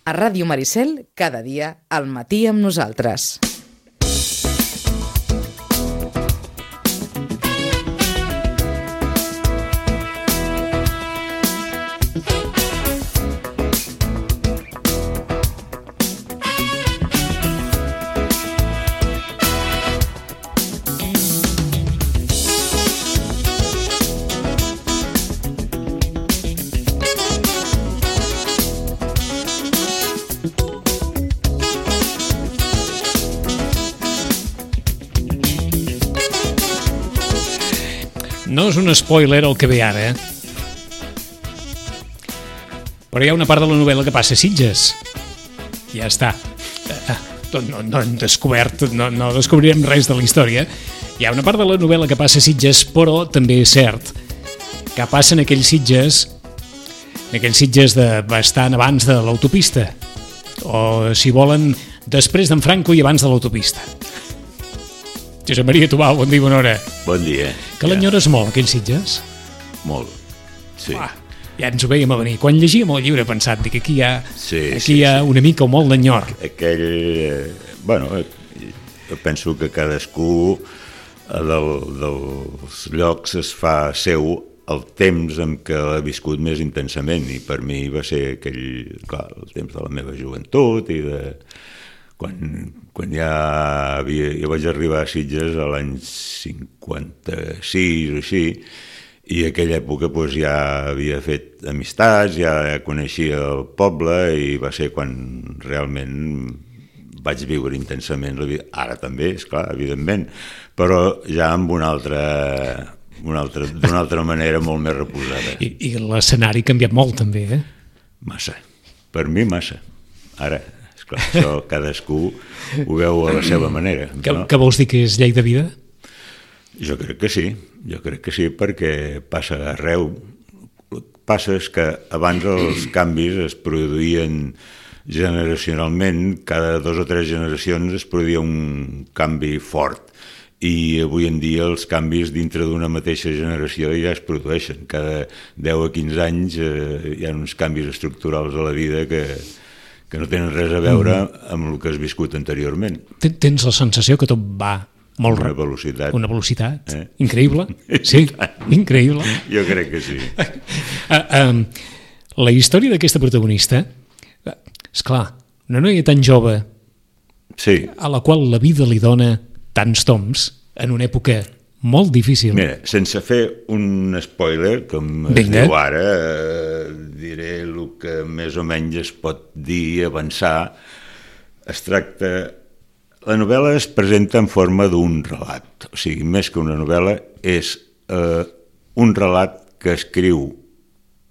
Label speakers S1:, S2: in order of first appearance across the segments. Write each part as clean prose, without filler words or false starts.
S1: A Ràdio Maricel, cada dia, al matí amb nosaltres.
S2: No és un spoiler el que ve ara, però hi ha una part de la novel·la que passa a Sitges. Ja està. No hem descobert, no descobrirem res de la història. Hi ha una part de la novel·la que passa a Sitges, però també és cert que passa en aquells Sitges de bastant abans de l'autopista, o, si volen, després d'en Franco i abans de l'autopista. Josep Maria Tubau, bon dia, bona hora.
S3: Bon dia.
S2: Que l'enyores molt, aquells Sitges?
S3: Molt, sí.
S2: Ja ens ho veiem a venir. Quan llegíem el llibre he pensat que aquí hi ha una mica o molt d'enyor.
S3: Jo penso que cadascú dels llocs es fa seu el temps en què l'ha viscut més intensament, i per mi va ser el temps de la meva joventut i de... Quan jo vaig arribar a Sitges a l'any 56 o així, i en aquella època ja havia fet amistats, ja coneixia el poble, i va ser quan realment vaig viure intensament la vida. Ara també, esclar, evidentment, però ja amb d'una altra manera molt més reposada.
S2: I l'escenari ha canviat molt també, eh?
S3: Massa, per mi massa. Ara, esclar, això cadascú ho veu a la seva manera.
S2: Què vols dir, que és llei de vida?
S3: Jo crec que sí, perquè passa arreu. El que passa és que abans els canvis es produïen generacionalment, cada 2 o 3 generacions es produïa un canvi fort, i avui en dia els canvis dintre d'una mateixa generació ja es produeixen. Cada 10 o 15 anys hi ha uns canvis estructurals a la vida que no tenen res a veure amb el que has viscut anteriorment.
S2: Tens la sensació que tot va molt
S3: ràpid.
S2: Una velocitat increïble. Sí, increïble.
S3: Jo crec que sí.
S2: La història d'aquesta protagonista, esclar, una noia tan jove,
S3: sí,
S2: a la qual la vida li dona tants toms en una època molt difícil.
S3: Mira, sense fer un spoiler, com es diu ara, diré el que més o menys es pot dir, avançar. Es tracta... La novel·la es presenta en forma d'un relat, o sigui, més que una novel·la, és un relat que escriu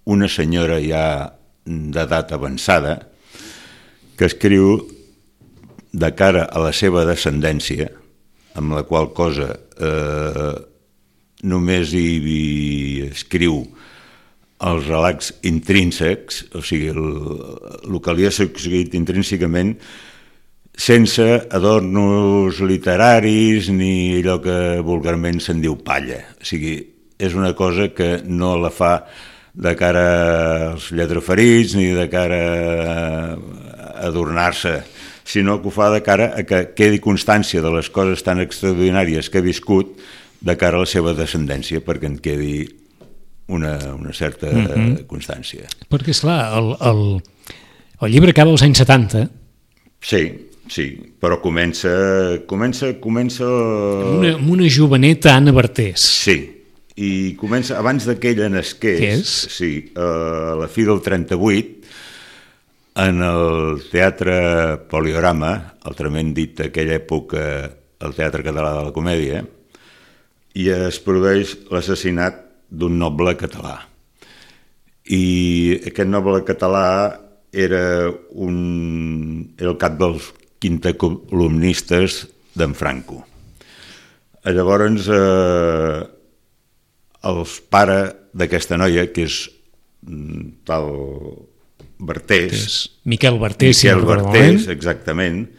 S3: una senyora ja d'edat avançada, que escriu de cara a la seva descendència, amb la qual cosa només hi escriu els relats intrínsecs, o sigui, el que li ha succeït intrínsecament, sense adornos literaris ni allò que vulgarment se'n diu palla. O sigui, és una cosa que no la fa de cara als lletraferits ni de cara a adornar-se, sinó que ho fa de cara a que quedi constància de les coses tan extraordinàries que ha viscut de cara a la seva descendència, perquè en quedi una certa constància.
S2: Perquè, esclar, el llibre acaba als anys 70.
S3: Sí, però comença...
S2: Amb una joveneta Anna Bartés.
S3: Sí, i comença abans d'aquella nasqués.
S2: Què és?
S3: Sí, a la fi del 38, en el Teatre Poliorama, altrament dit aquella època el Teatre Català de la Comèdia, i es produeix l'assassinat d'un noble català. I aquest noble català era el cap dels quintacolumnistes d'en Franco. Llavors, el pare d'aquesta noia, que és tal Bartés...
S2: Miquel Bartés,
S3: exactament,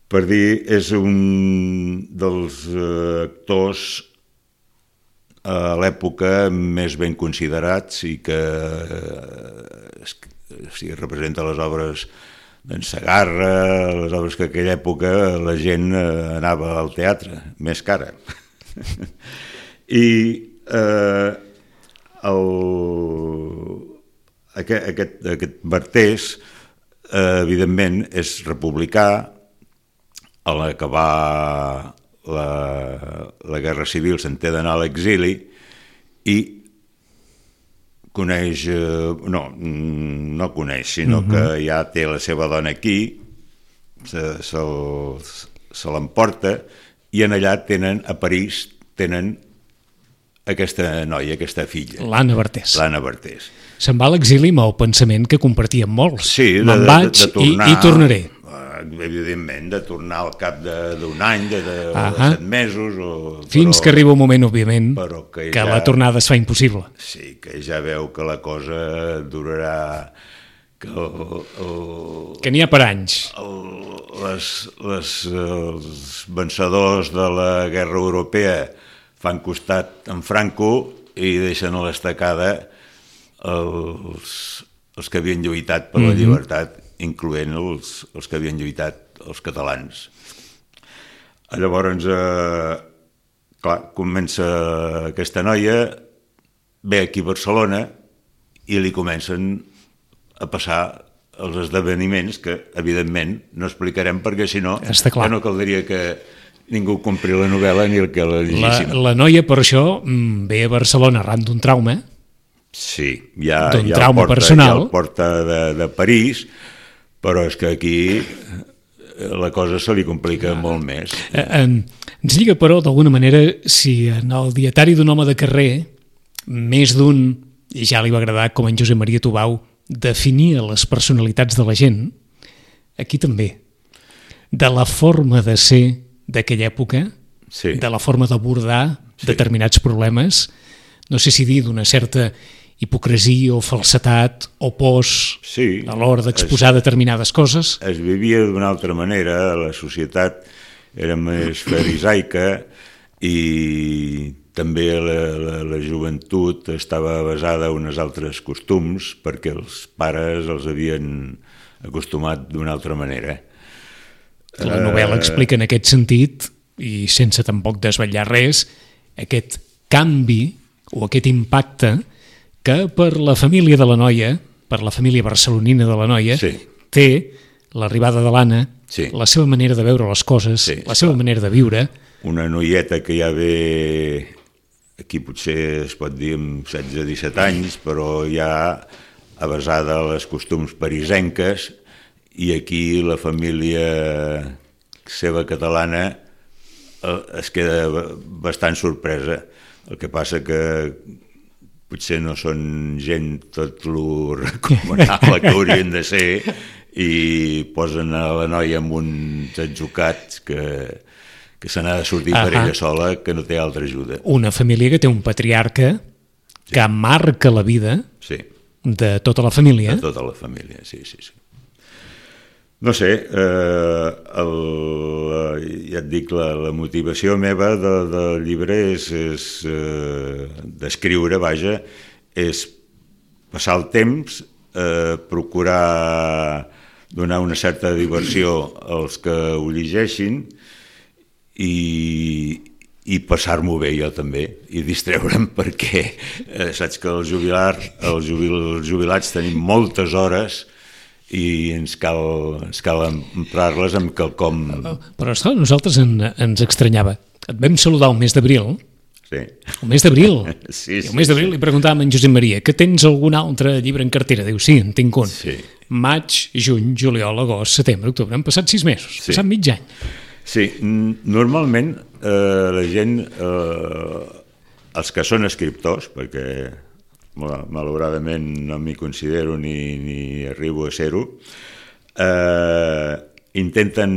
S3: per dir, és un dels actors a l'època més ben considerats i que o sigui, representa les obres d'en Segarra, les obres que en aquella època la gent anava al teatre, més cara. I aquest Bartés, evidentment, és republicà. A l'acabar la Guerra Civil se'n té d'anar a l'exili i coneix, no coneix, sinó que ja té la seva dona aquí, se l'emporta, i en allà tenen, a París, tenen aquesta noia, aquesta filla.
S2: L'Anna Bartés.
S3: L'Anna Bartés.
S2: Se'n va a l'exili amb el pensament que compartíem molts.
S3: Sí,
S2: me'n vaig i tornaré.
S3: Evidentment, de tornar al cap d'un any, de 7 mesos...
S2: Fins que arriba un moment, òbviament, que
S3: ja,
S2: la tornada es fa impossible.
S3: Sí, que ja veu que la cosa durarà...
S2: Que n'hi ha per anys.
S3: Els vencedors de la guerra europea fan costat en Franco i deixen a l'estacada els que havien lluitat per la llibertat, incloent els que havien lluitat els catalans. Llavors, clar, comença aquesta noia, ve aquí a Barcelona i li comencen a passar els esdeveniments que, evidentment, no explicarem perquè, si no, ja no caldria que ningú compri la novel·la ni el que la llegíssim.
S2: La noia, per això, ve a Barcelona arran d'un trauma.
S3: Sí, ja el porta de París, però és que aquí la cosa se li complica molt més.
S2: Ens lliga, però, d'alguna manera, si en el dietari d'un home de carrer, més d'un, i ja li va agradar com en Josep Maria Tubau, definia les personalitats de la gent, aquí també, de la forma de ser d'aquella època, de la forma d'abordar determinats problemes, no sé si dir d'una certa hipocresia o falsetat o pors a l'hora d'exposar determinades coses.
S3: Es vivia d'una altra manera, la societat era més farisaica i també la joventut estava basada en uns altres costums perquè els pares els havien acostumat d'una altra manera.
S2: La novel·la explica en aquest sentit, i sense tampoc desvetllar res, aquest canvi o aquest impacte que per la família de la noia, per la família barcelonina de la noia, té l'arribada de l'Anna, la seva manera de veure les coses, la seva manera de viure.
S3: Una noieta que ja ve, aquí potser es pot dir amb 16-17 anys, però ja avasada a les costums parisenques, i aquí la família seva catalana es queda bastant sorpresa. El que passa que potser no són gent tot lo recomanable que haurien de ser i posen a la noia amb uns atzucats que se n'ha de sortir per ella sola, que no té altra ajuda.
S2: Una família que té un patriarca que marca la vida de tota la família.
S3: De tota la família, sí. No sé, ja et dic, la motivació meva del llibre és d'escriure, vaja, és passar el temps, procurar donar una certa diversió als que ho llegeixin i passar-m'ho bé jo també, i distreure'm perquè saps que els jubilats tenim moltes hores i ens cal emprar-les amb quelcom...
S2: Però a nosaltres ens estranyava. Et vam saludar el mes d'abril.
S3: Sí.
S2: El mes d'abril.
S3: Sí.
S2: El mes d'abril li preguntàvem a en Josep Maria que tens algun altre llibre en cartera? Diu, sí, en tinc un.
S3: Sí.
S2: Maig, juny, juliol, agost, setembre, octubre. Han passat 6 mesos, passat mig any.
S3: Sí, normalment la gent, els que són escriptors, perquè malauradament no m'hi considero ni arribo a ser-ho, intenten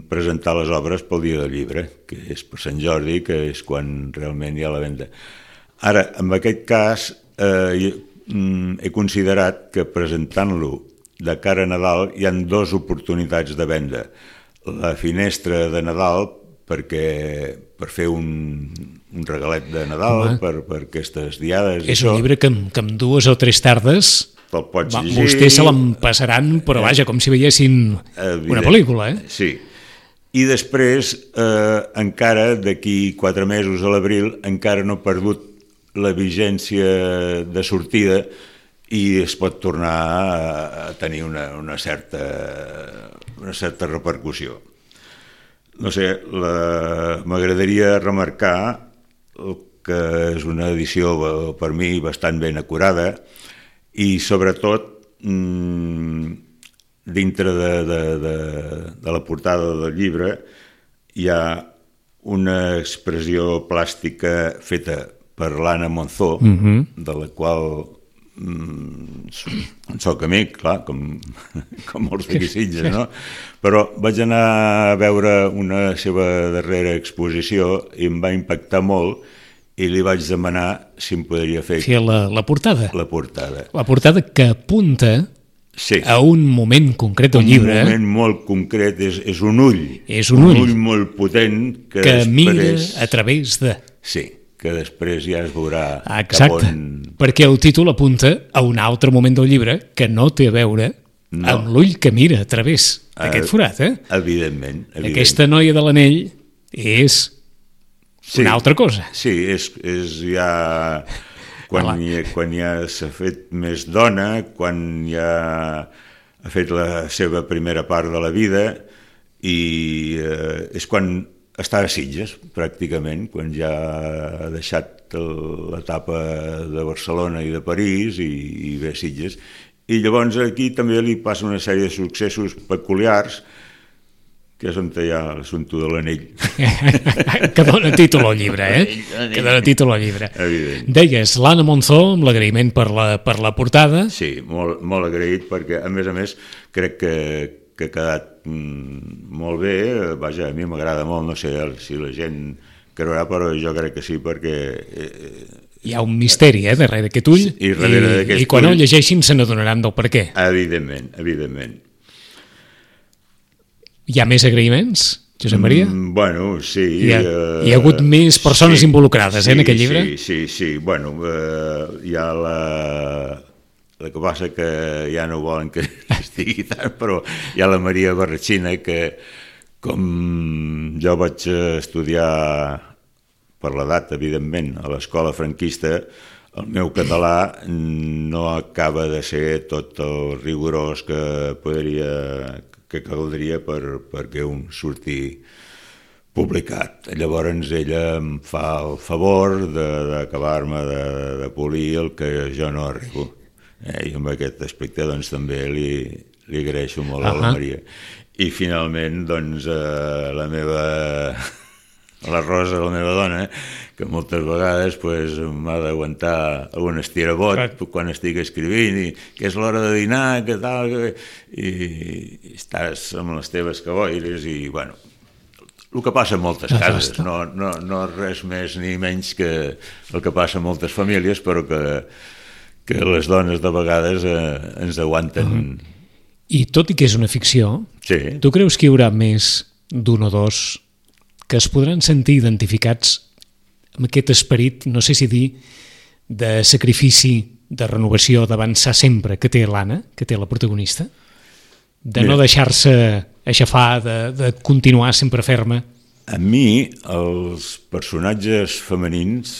S3: presentar les obres pel dia del llibre, que és per Sant Jordi, que és quan realment hi ha la venda. Ara, en aquest cas, he considerat que presentant-lo de cara a Nadal hi ha 2 oportunitats de venda. La finestra de Nadal, per fer un regalet de Nadal, per aquestes diades.
S2: És un llibre que amb 2 o 3 tardes
S3: te'l pots llegir.
S2: Vostès se l'empassaran, però vaja, com si veiessin una pel·lícula,
S3: Sí. I després, encara d'aquí 4 mesos a l'abril, encara no ha perdut la vigència de sortida i es pot tornar a tenir una certa repercussió. No sé, m'agradaria remarcar que és una edició per mi bastant ben acurada i sobretot dintre de la portada del llibre hi ha una expressió plàstica feta per l'Anna Monzó, de la qual soc amic, clar, com molts d'aquí Sitges, no? Però vaig anar a veure una seva darrera exposició i em va impactar molt i li vaig demanar si em podria fer...
S2: La portada.
S3: La portada.
S2: La portada que apunta a un moment concret del llibre.
S3: Un moment molt concret, és un ull.
S2: És un ull
S3: molt potent
S2: que després... mira a través de...
S3: Sí, que després ja es veurà
S2: cap on... Perquè el títol apunta a un altre moment del llibre que no té a veure amb l'ull que mira a través d'aquest forat,
S3: Evidentment.
S2: Aquesta noia de l'anell és una altra cosa.
S3: Sí, és ja... Quan ja s'ha fet més dona, quan ja ha fet la seva primera part de la vida i és quan està a Sitges, pràcticament, quan ja ha deixat l'etapa de Barcelona i de París i ve a Sitges. I llavors aquí també li passa una sèrie de successos peculiars que és on hi ha l'assumpte de l'anell.
S2: Que dona títol al llibre, Que dona títol al llibre.
S3: Evident.
S2: Deies, l'Anna Monzó, amb l'agraïment per la portada.
S3: Sí, molt agraït, perquè a més crec que ha quedat molt bé. Vaja, a mi m'agrada molt, no sé si la gent creurà, però jo crec que sí, perquè...
S2: Hi ha un misteri, darrere d'aquest ull, i quan el llegeixin se n'adonaran del per què.
S3: Evidentment.
S2: Hi ha més agraïments, Josep Maria?
S3: Bueno, sí.
S2: Hi ha hagut més persones involucrades en aquest llibre?
S3: Sí. Bueno, hi ha el que passa que ja no volen que estigui tant, però hi ha la Maria Barratxina, que com jo vaig estudiar per l'edat, evidentment, a l'escola franquista, el meu català no acaba de ser tot el rigorós que caldria perquè un surti publicat. Llavors ella em fa el favor d'acabar-me de polir el que jo no arribo. I en aquest aspecte doncs també li agraeixo molt a la Maria. I finalment doncs la Rosa, la meva dona, que moltes vegades m'ha d'aguantar algun estirabot quan estic escrivint i que és l'hora de dinar, que tal, i estàs amb les teves caboires i, bueno, el que passa en moltes cases, no res més ni menys que el que passa en moltes famílies, però que les dones de vegades ens aguanten.
S2: I tot i que és una ficció, tu creus que hi haurà més d'un o dos que es podran sentir identificats amb aquest esperit, no sé si dir, de sacrifici, de renovació, d'avançar sempre que té l'Anna, que té la protagonista? De no deixar-se aixafar, de continuar sempre ferma?
S3: A mi, els personatges femenins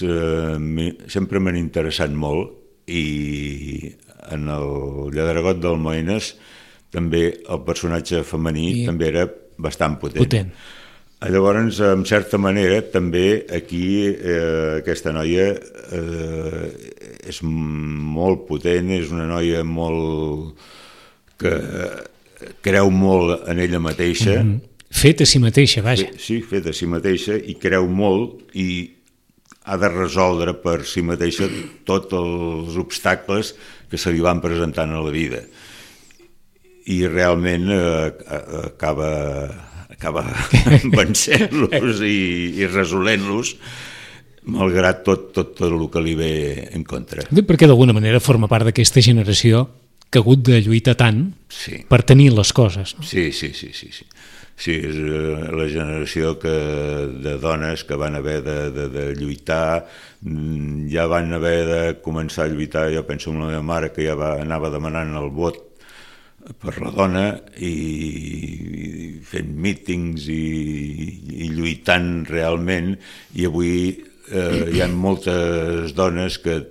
S3: sempre m'han interessat molt i en el Lladregot d'Almoines també el personatge femení també era bastant potent. Llavors, en certa manera, també aquí aquesta noia és molt potent, és una noia molt que creu molt en ella mateixa.
S2: Fet a si mateixa, vaja.
S3: Sí, fet a si mateixa, i creu molt i ha de resoldre per si mateixa tots els obstacles que se li van presentant a la vida. I realment acaba vencent-los i resolent-los, malgrat tot el que li ve en contra.
S2: Perquè d'alguna manera forma part d'aquesta generació que ha hagut de lluitar tant per tenir les coses. No?
S3: Sí. Sí, és la generació de dones que van haver de lluitar, ja van haver de començar a lluitar, jo penso en la meva mare que ja anava demanant el vot per la dona i fent mítings i lluitant realment, i avui hi ha moltes dones que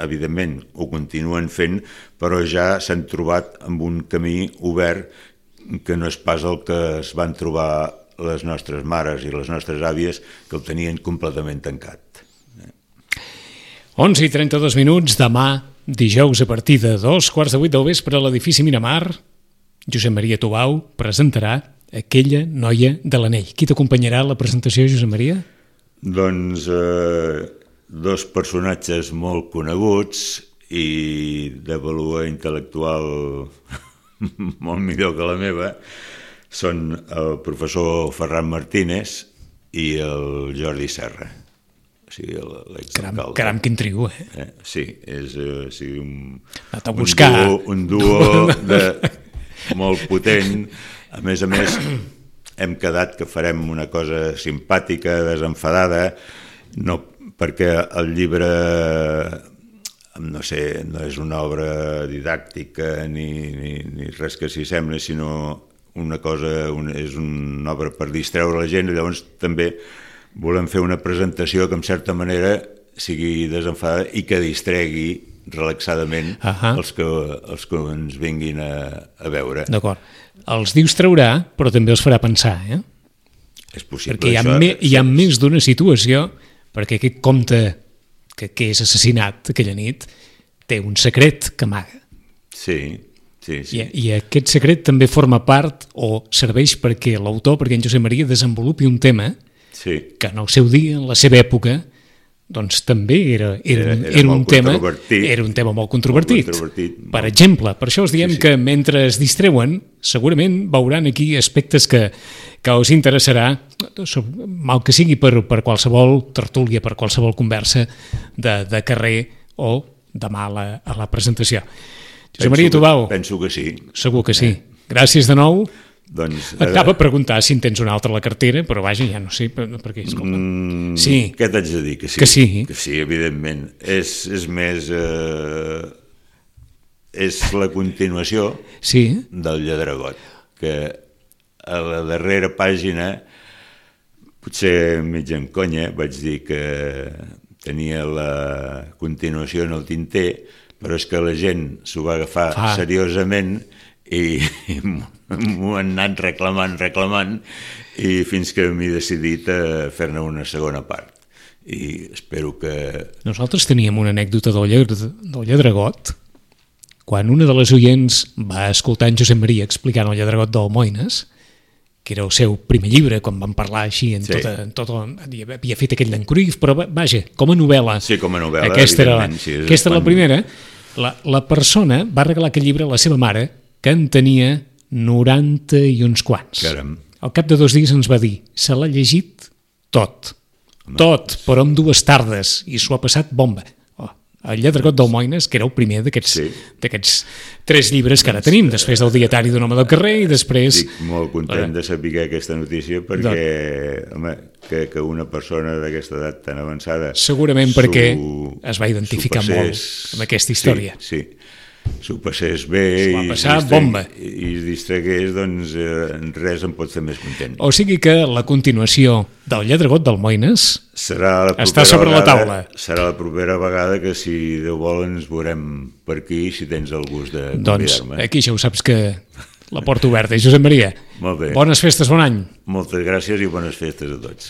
S3: evidentment ho continuen fent, però ja s'han trobat amb un camí obert que no és pas el que es van trobar les nostres mares i les nostres àvies, que el tenien completament tancat.
S2: 11:32, demà, dijous, a partir de 7:15 del vespre, a l'edifici Miramar, Josep Maria Tubau presentarà Aquella noia de l'anell. Qui t'acompanyarà a la presentació, Josep Maria?
S3: Doncs dos personatges molt coneguts i de valor intel·lectual molt millor que la meva, són el professor Ferran Martínez i el Jordi Serra, o sigui, l'exalcalde.
S2: Caram, quin trio,
S3: Sí, és
S2: un
S3: duo molt potent. A més, hem quedat que farem una cosa simpàtica, desenfadada, no perquè el llibre, no sé, no és una obra didàctica ni res que s'hi sembli, sinó una cosa, és una obra per distreure la gent, i llavors també volem fer una presentació que en certa manera sigui desenfadada i que distregui relaxadament els que ens vinguin a veure.
S2: D'acord. Els distraurà, però també els farà pensar,
S3: És possible.
S2: Perquè hi ha més d'una situació, perquè aquest comte que és assassinat aquella nit té un secret que amaga.
S3: Sí.
S2: I aquest secret també forma part o serveix perquè l'autor, perquè en Josep Maria, desenvolupi un tema que en el seu dia, en la seva època, doncs també era un tema molt controvertit. Per exemple, per això us diem que mentre es distreuen, segurament veuran aquí aspectes que us interessarà, mal que sigui per qualsevol tertúlia, per qualsevol conversa de carrer o demà a la presentació. Josep Maria Tubau.
S3: Penso que sí.
S2: Segur que sí. Gràcies de nou.
S3: Doncs,
S2: Acaba a preguntar si en tens una altra a la cartera, però vaja, ja no sé, perquè escolta. Sí.
S3: Què t'haig de dir? Que sí, evidentment. És més... és la continuació del Lladregot, que a la darrera pàgina, potser mig en conya, vaig dir que tenia la continuació en el tinter, però és que la gent s'ho va agafar seriosament i m'ho han anat reclamant i fins que m'he decidit a fer-ne una segona part. I espero que...
S2: Nosaltres teníem una anècdota del Lladregot, quan una de les oients va escoltar en Josep Maria explicant el Lladregot d'Almoines, que era el seu primer llibre, quan vam parlar així havia fet aquell d'en Cruyff, però vaja, com a novel·la.
S3: Sí, com a novel·la,
S2: evidentment. Aquesta era la primera. La persona va regalar aquest llibre a la seva mare, que en tenia 90 i uns quants.
S3: Caram.
S2: Al cap de 2 dies ens va dir, se l'ha llegit tot, però en 2 tardes, i s'ho ha passat bomba. El Lladregot d'Almoines, que era el primer d'aquests 3 llibres que ara tenim, després del Dietari d'un home del carrer i després...
S3: Estic molt content de saber aquesta notícia perquè, home, que una persona d'aquesta edat tan avançada...
S2: Segurament perquè es va identificar molt amb aquesta història.
S3: Sí, s'ho passés bé
S2: i es
S3: distregués, doncs res em pot fer més content.
S2: O sigui que la continuació del Lladregot d'Almoines està sobre la taula.
S3: Serà la propera vegada que, si Déu vol, ens veurem per aquí, si tens el gust de convidar-me.
S2: Doncs aquí ja ho saps que la porta oberta. Josep Maria,
S3: molt bé.
S2: Bones festes, bon any.
S3: Moltes gràcies i bones festes a tots.